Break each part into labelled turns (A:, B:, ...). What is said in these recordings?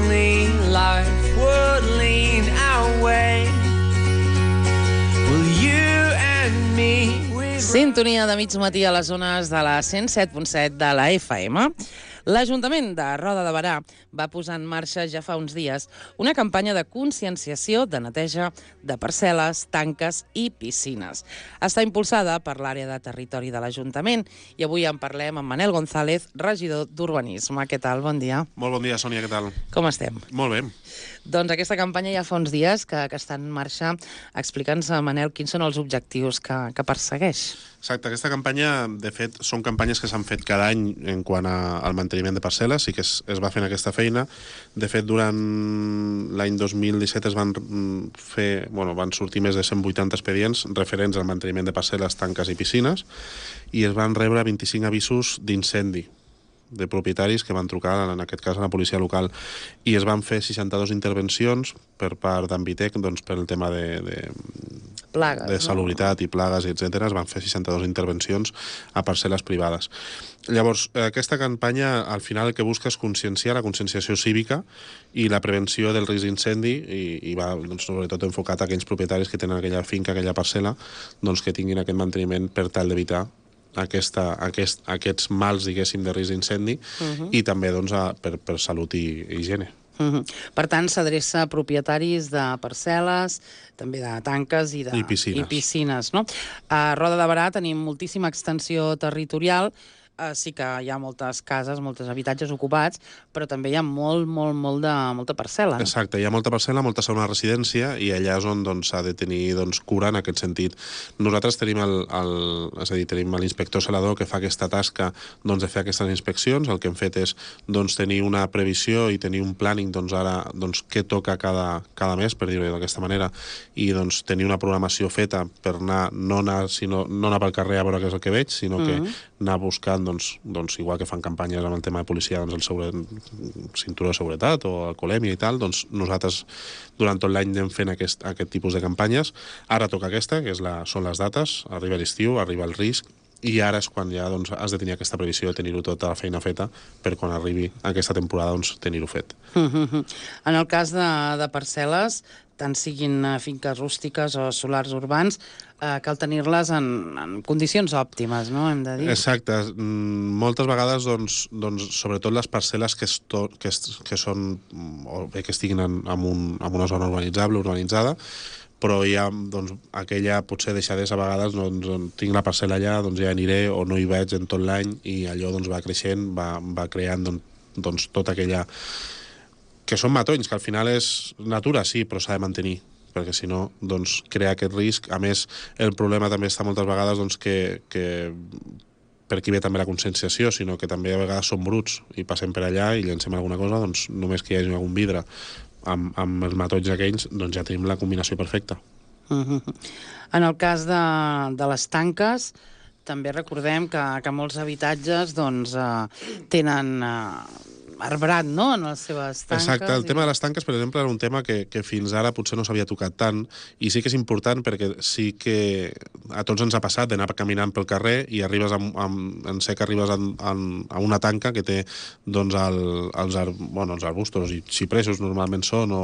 A: only life would lean our way. Will you and me...
B: Sintonia de mig matí a les zones de la 107.7 de la FM. L'Ajuntament de Roda de Berà va posar en marxa ja fa uns dies una campanya de conscienciació de neteja de parcel·les, tanques i piscines. Està impulsada per l'àrea de territori de l'Ajuntament i avui en parlem amb Manel González, regidor d'Urbanisme. Què tal? Bon dia.
C: Molt bon dia, Sònia, què tal?
B: Com estem?
C: Molt bé.
B: Doncs aquesta campanya ja fa uns dies que està en marxa. Explica'ns, Manel, quins són els objectius que persegueix.
C: Exacte, aquesta campanya, de fet, són campanyes que s'han fet cada any en quant al manteniment de parcel·les, i que es va fent aquesta feina. De fet, durant l'any 2017 van sortir més de 180 expedients referents al manteniment de parcel·les, tanques i piscines, i es van rebre 25 avisos d'incendi de propietaris que van trucar, en aquest cas, a la policia local, i es van fer 62 intervencions per part d'Ambitec, doncs, per el tema de
B: plagues,
C: de salubritat i plagues, etc. Es van fer 62 intervencions a parcel·les privades. Llavors, aquesta campanya, al final, el que busca és conscienciar, la conscienciació cívica i la prevenció del risc d'incendi, i va, doncs, sobretot enfocat a aquells propietaris que tenen aquella finca, aquella parcel·la, doncs, que tinguin aquest manteniment per tal d'evitar aquests mals, diguéssim, de risc d'incendi, i també, doncs, per salut i higiene.
B: Per tant, s'adreça a propietaris de parcel·les, també de tanques i piscines, no? A Roda de Berà tenim moltíssima extensió territorial. Sí que hi ha moltes cases, molts habitatges ocupats, però també hi ha molta parcel·la.
C: Exacte, hi ha molta parcel·la, molta segona residència, i allà és on s'ha de tenir cura en aquest sentit. Nosaltres tenim tenim l'inspector celador que fa aquesta tasca de fer aquestes inspeccions. El que hem fet és tenir una previsió i tenir un planning ara què toca cada mes, per dir-ho d'aquesta manera, i tenir una programació feta per no anar pel carrer a veure què és el que veig, sinó que anar buscant, igual que fan campanyes amb el tema de policia, el cinturó de seguretat o alcoholèmia i tal, nosaltres durant tot l'any anem fent aquest tipus de campanyes. Ara toca aquesta, que són les dates, arriba l'estiu, arriba el risc, i ara és quan ja has de tenir aquesta previsió de tenir-ho tota la feina feta per quan arribi aquesta temporada tenir-ho fet.
B: En el cas de parcel·les, tant siguin finques rústiques o solars urbans, cal tenir-les en condicions òptimes, no? Hem de dir.
C: Exacte. Moltes vegades, sobretot les parcel·les que són, o bé que estiguin en una zona urbanitzada, però hi ha aquella potser deixadesa a vegades, tinc la parcel·la allà, ja aniré o no hi veig en tot l'any, i allò va creixent, va creant tota aquella... que són matolls, que al final és natura, sí, però s'ha de mantenir, perquè si no, crea aquest risc. A més, el problema també està moltes vegades que per aquí ve també la conscienciació, sinó que també a vegades som bruts i passem per allà i llancem alguna cosa, només que hi hagi algun vidre amb els matolls aquells, ja tenim la combinació perfecta.
B: En el cas de les tanques, també recordem que molts habitatges tenen arbrat, no?, en les seves tanques.
C: Exacte, el tema de les tanques, per exemple, era un tema que fins ara potser no s'havia tocat tant, i sí que és important perquè sí que a tots ens ha passat d'anar caminant pel carrer i arribes en sec, arribes a una tanca que té els arbustos i xipresos normalment són, o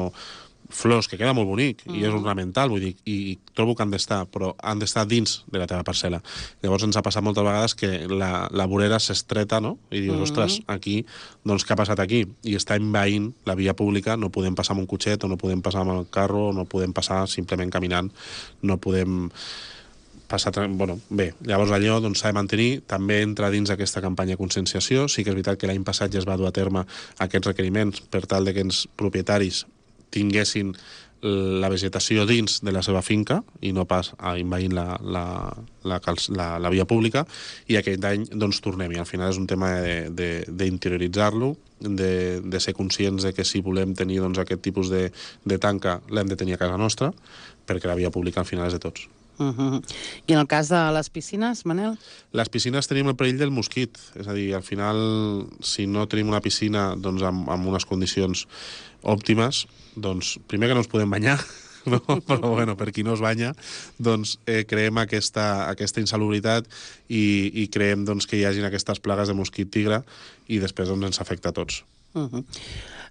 C: flors, que queda molt bonic, i és ornamental, vull dir, i trobo que han d'estar, però han d'estar dins de la teva parcel·la. Llavors ens ha passat moltes vegades que la vorera s'estreta, no?, i dius, ostres, aquí, què ha passat aquí? I està envaint la via pública, no podem passar amb un cotxet, o no podem passar amb el carro, o no podem passar simplement caminant, no podem passar... Bé, llavors allò s'ha de mantenir, també entra dins aquesta campanya de conscienciació. Sí que és veritat que l'any passat ja es va dur a terme aquests requeriments per tal que els propietaris tinguessin la vegetació dins de la seva finca i no pas envaint la via pública, i aquest any tornem, i al final és un tema d'interioritzar-lo, de ser conscients de que si volem tenir aquest tipus de tanca l'hem de tenir a casa nostra, perquè la via pública al final és de tots.
B: I en el cas de les piscines, Manel?
C: Les piscines tenim el perill del mosquit, és a dir, al final, si no tenim una piscina amb unes condicions òptimes, primer que no ens podem banyar, no? Però bueno, per qui no es banya, creem aquesta insalubritat i creem que hi hagin aquestes plagues de mosquit tigre, i després ens afecta a tots.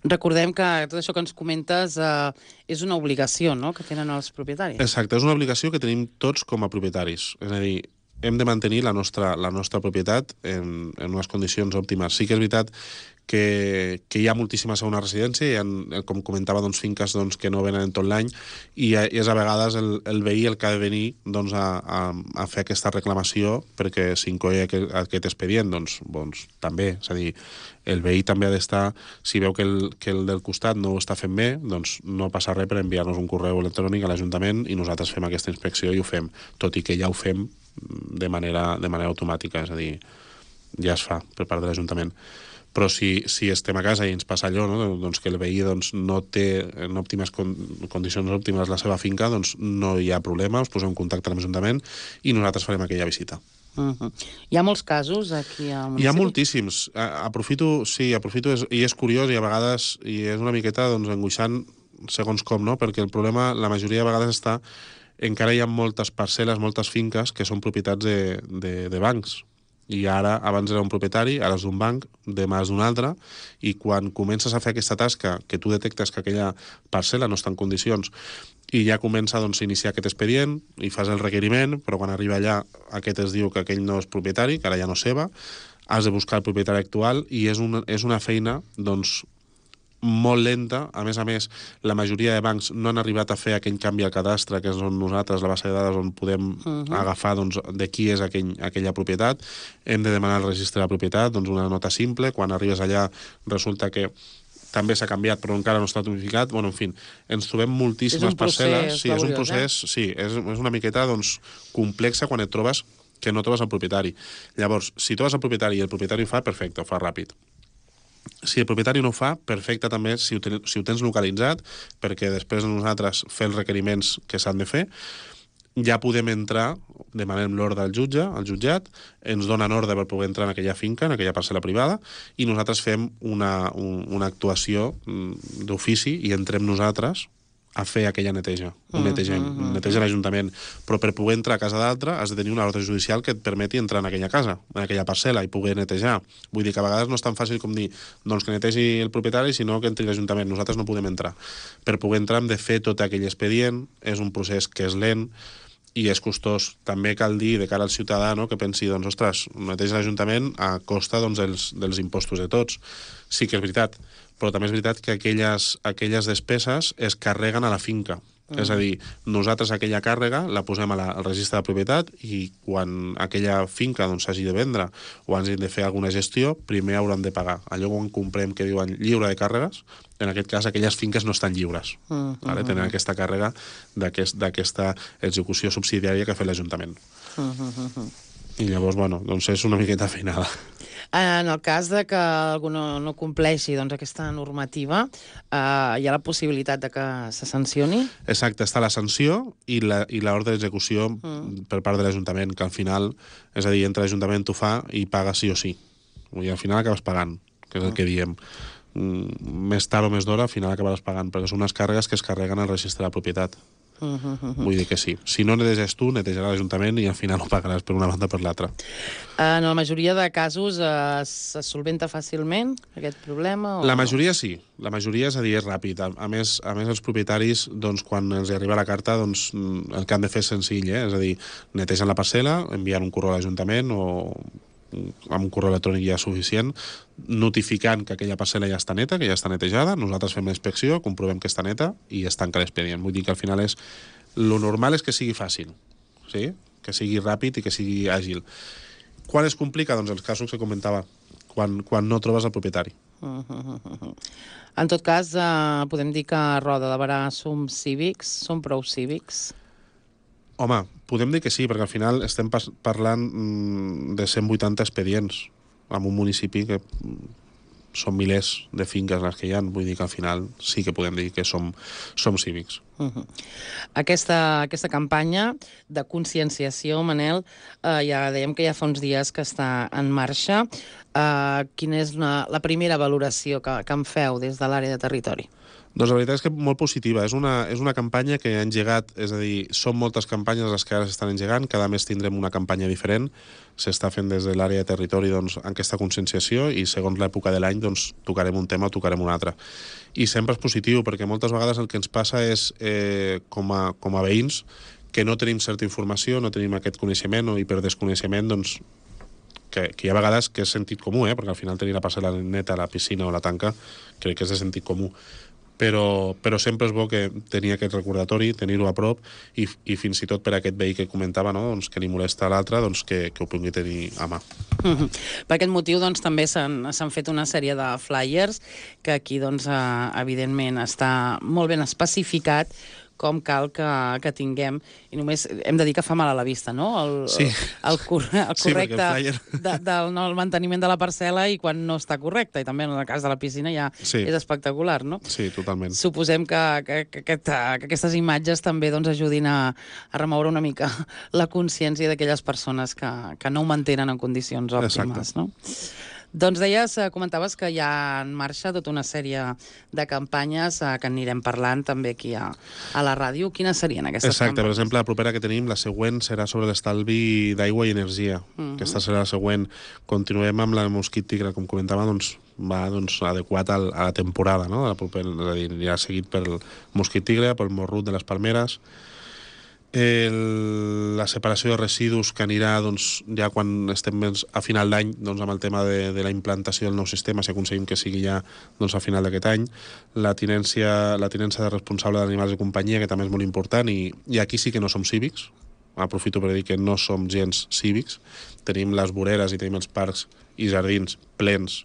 B: Recordem que tot això que ens comentes és una obligació, no?, que tenen els propietaris.
C: Exacte, és una obligació que tenim tots com a propietaris. És a dir, hem de mantenir la nostra propietat en unes condicions òptimes. Sí que és veritat que hi ha moltíssima segona residència, hi ha, com comentava, doncs, finques doncs, que no venen en tot l'any, i és a vegades el veí el que ha de venir doncs, a fer aquesta reclamació perquè s'inclogui aquest expedient. Doncs també, és a dir, el veí també ha d'estar, si veu que el del costat no ho està fent bé, doncs no passa res per enviar-nos un correu electrònic a l'Ajuntament i nosaltres fem aquesta inspecció i ho fem, tot i que ja ho fem de manera automàtica, és a dir, ja es fa per part de l'Ajuntament. Però si estem a casa i ens passa allò, no? Doncs que el veí no té en condicions òptimes la seva finca, doncs no hi ha problema, us posem en contacte amb l'Ajuntament i nosaltres farem aquella visita.
B: Hi ha molts casos aquí al municipi?
C: Hi ha moltíssims. Aprofito, i és curiós i a vegades i és una miqueta doncs, angoixant segons com, no? Perquè el problema la majoria de vegades està encara hi ha moltes parcel·les, moltes finques que són propietats de bancs. I ara, abans era un propietari, ara és d'un banc, demà és d'un altre, i quan comences a fer aquesta tasca, que tu detectes que aquella parcel·la no està en condicions, i ja comença doncs, a iniciar aquest expedient, i fas el requeriment, però quan arriba allà aquest es diu que aquell no és propietari, que ara ja no és seva, has de buscar el propietari actual, i és una feina, doncs, molt lenta. A més, la majoria de bancs no han arribat a fer aquell canvi al cadastre, que és on nosaltres, la base de dades, on podem agafar doncs, de qui és aquella propietat. Hem de demanar el registre de la propietat, doncs una nota simple. Quan arribes allà resulta que també s'ha canviat, però encara no està notificat. Bueno, en fi, ens trobem moltíssimes parcel·les. Sí, és un procés, sí, és una miqueta doncs, complexa quan et trobes que no trobes el propietari. Llavors, si trobes el propietari i el propietari ho fa, perfecte, ho fa ràpid. Si el propietari no ho fa, perfecte també si ho tens localitzat, perquè després nosaltres fer els requeriments que s'han de fer, ja podem entrar, demanem l'ordre al jutge, al jutjat, ens donen ordre per poder entrar en aquella finca, en aquella parcel·la privada, i nosaltres fem una actuació d'ofici i entrem nosaltres a fer aquella neteja. Neteja l'Ajuntament. Però per poder entrar a casa d'altre has de tenir una ordre judicial que et permeti entrar en aquella casa, en aquella parcel·la, i poder netejar. Vull dir que a vegades no és tan fàcil com dir doncs que netegi el propietari, sinó que entri l'Ajuntament. Nosaltres no podem entrar. Per poder entrar hem de fer tot aquell expedient, és un procés que és lent i és costós. També cal dir, de cara al ciutadà, no, que pensi, doncs, ostres, neteja l'Ajuntament a costa doncs, dels impostos de tots. Sí que és veritat, però també és veritat que aquelles despeses es carreguen a la finca. És a dir, nosaltres aquella càrrega la posem al registre de propietat i quan aquella finca s'hagi de vendre o hagi de fer alguna gestió, primer hauran de pagar. Allò quan comprem que diuen lliure de càrregues, en aquest cas aquelles finques no estan lliures. Tenen aquesta càrrega d'aquesta execució subsidiària que ha fet l'Ajuntament. I llavors, bueno, doncs és una miqueta feinada.
B: En el cas de que algú no compleixi aquesta normativa, hi ha la possibilitat de que se sancioni?
C: Exacte, està la sanció i l'ordre d'execució per part de l'Ajuntament, que al final, és a dir, entra l'Ajuntament, t'ho fa i paga sí o sí. I al final acabes pagant, que és el que diem. Més tard o més d'hora, al final acabaràs pagant, perquè són unes càrregues que es carreguen al registre de propietat. Vull dir que sí. Si no neteges tu, netejarà l'Ajuntament i al final ho pagaràs per una banda o per l'altra.
B: En la majoria de casos se solventa fàcilment aquest problema?
C: La majoria sí. La majoria, és a dir, és ràpid. A més els propietaris, doncs, quan els arriba la carta, doncs, el que han de fer és senzill, és a dir, netegen la parcel·la, enviant un correu a l'Ajuntament o amb un correu electrònic ja suficient, notificant que aquella parcel·la ja està neta, que ja està netejada, nosaltres fem la inspecció, comprovem que està neta i es tanca l'expedient. Vull dir que al final lo normal és que sigui fàcil, sí? Que sigui ràpid i que sigui àgil. Quan es complica? Doncs els casos que comentava, quan no trobes el propietari.
B: En tot cas, podem dir que a Roda de Berà som cívics, som prou cívics?
C: Home, podem dir que sí, perquè al final estem parlant de 180 expedients en un municipi que són milers de finques les que hi ha. Vull dir que al final sí que podem dir que som cívics.
B: Aquesta campanya de conscienciació, Manel, ja dèiem que ja fa uns dies que està en marxa. Quina és la primera valoració que en feu des de l'àrea de territori?
C: Doncs la veritat és que molt positiva. És una campanya que ha engegat, és a dir, són moltes campanyes les que ara s'estan engegant, cada mes tindrem una campanya diferent, s'està fent des de l'àrea de territori doncs, aquesta conscienciació i segons l'època de l'any doncs, tocarem un tema o tocarem un altre. I sempre és positiu, perquè moltes vegades el que ens passa és, com a veïns, que no tenim certa informació, no tenim aquest coneixement i per desconeixement doncs, que hi ha vegades que és sentit comú, perquè al final tenir la parcel·la neta a la piscina o la tanca crec que és de sentit comú. Però sempre és bo que tenir aquest recordatori, tenir-ho a prop i fins i tot per aquest veí que comentava, no? Doncs que li molesta a l'altre, doncs que ho pugui tenir a mà.
B: Per aquest motiu doncs, també s'han fet una sèrie de flyers que aquí doncs, evidentment està molt ben especificat com cal que tinguem, i només hem de dir que fa mal a la vista, no? El correcte del manteniment de la parcel·la i quan no està correcte, i també en el cas de la piscina ja és espectacular, no?
C: Sí, totalment.
B: Suposem que aquestes imatges també doncs, ajudin a remoure una mica la consciència d'aquelles persones que no ho mantenen en condicions òptimes, no? Doncs comentaves que hi ha en marxa tota una sèrie de campanyes que anirem parlant també aquí a la ràdio. Quines serien aquestes campanyes?
C: Exacte, per exemple, la propera que tenim, la següent, serà sobre l'estalvi d'aigua i energia. Aquesta serà la següent. Continuem amb la mosquit tigre, com comentava, doncs va adequat a la temporada, no? És a dir, ja seguit pel mosquit tigre, pel morrut de les palmeres. La separació de residus que anirà doncs, ja quan estem a final d'any doncs, amb el tema de la implantació del nou sistema, si aconseguim que sigui ja doncs, a final d'aquest any, la tinença de responsable d'animals de companyia, que també és molt important, i aquí sí que no som cívics, aprofito per dir que no som gens cívics, tenim les voreres i tenim els parcs i jardins plens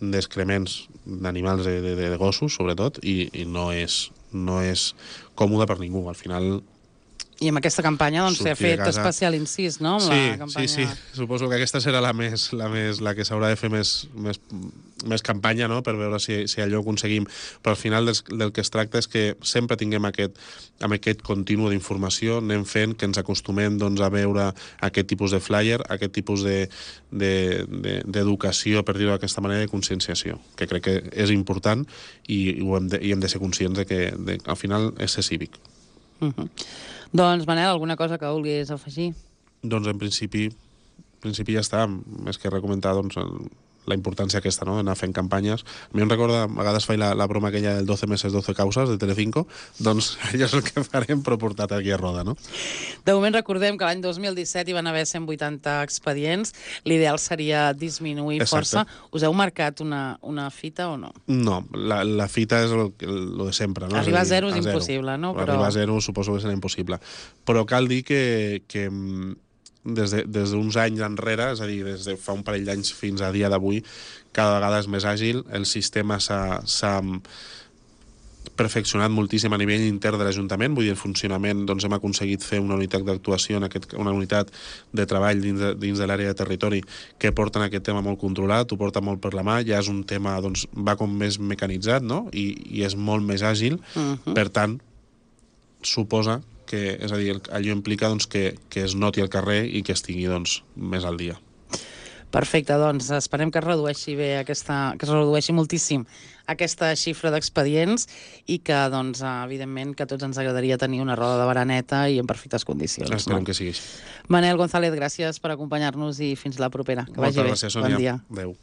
C: d'excrements d'animals de gossos, sobretot, i no és còmode per ningú. Al final
B: I amb aquesta campanya doncs, s'ha fet especial incís, no?
C: Sí. Suposo que aquesta serà la que s'haurà de fer més campanya, no? Per veure si allò ho aconseguim. Però al final del que es tracta és que sempre tinguem amb aquest continu d'informació, anem fent que ens acostumem doncs, a veure aquest tipus de flyer, aquest tipus d'educació, per dir-ho d'aquesta manera, de conscienciació, que crec que és important i hem de ser conscients de que al final és ser cívic.
B: Doncs, Manel, alguna cosa que vulguis afegir?
C: Doncs, en principi ja està. Més que recomentar doncs, la importància aquesta, no?, d'anar fent campanyes. A mi em recorda, a vegades faig la broma aquella del 12 meses, 12 causes, de Telecinco, doncs allò és el que farem, però portat aquí a roda, no?
B: De moment recordem que l'any 2017 hi van haver 180 expedients. L'ideal seria disminuir força. Us heu marcat una fita o no? No,
C: la fita és el de sempre, no?
B: Arribar a zero és impossible, no?
C: Arribar a zero suposo que serà impossible. Però cal dir que des d'uns anys enrere, és a dir, des de fa un parell d'anys fins a dia d'avui, cada vegada és més àgil, el sistema s'ha perfeccionat moltíssim a nivell intern de l'Ajuntament, vull dir, el funcionament, doncs hem aconseguit fer una unitat d'actuació, una unitat de treball dins de l'àrea de territori que porten aquest tema molt controlat, ho porta molt per la mà, ja és un tema, doncs, va com més mecanitzat, no?, i és molt més àgil, per tant, suposa que, és a dir, allò implica doncs, que es noti al carrer i que estigui doncs, més al dia.
B: Perfecte, doncs esperem que es redueixi que es redueixi moltíssim aquesta xifra d'expedients i que, doncs, evidentment, que a tots ens agradaria tenir una roda de baraneta i en perfectes condicions.
C: Esperem que sigui així.
B: Manel González, gràcies per acompanyar-nos i fins la propera. Que vagi bé.
C: Moltes gràcies, Sònia.
B: Bon dia.
C: Adéu.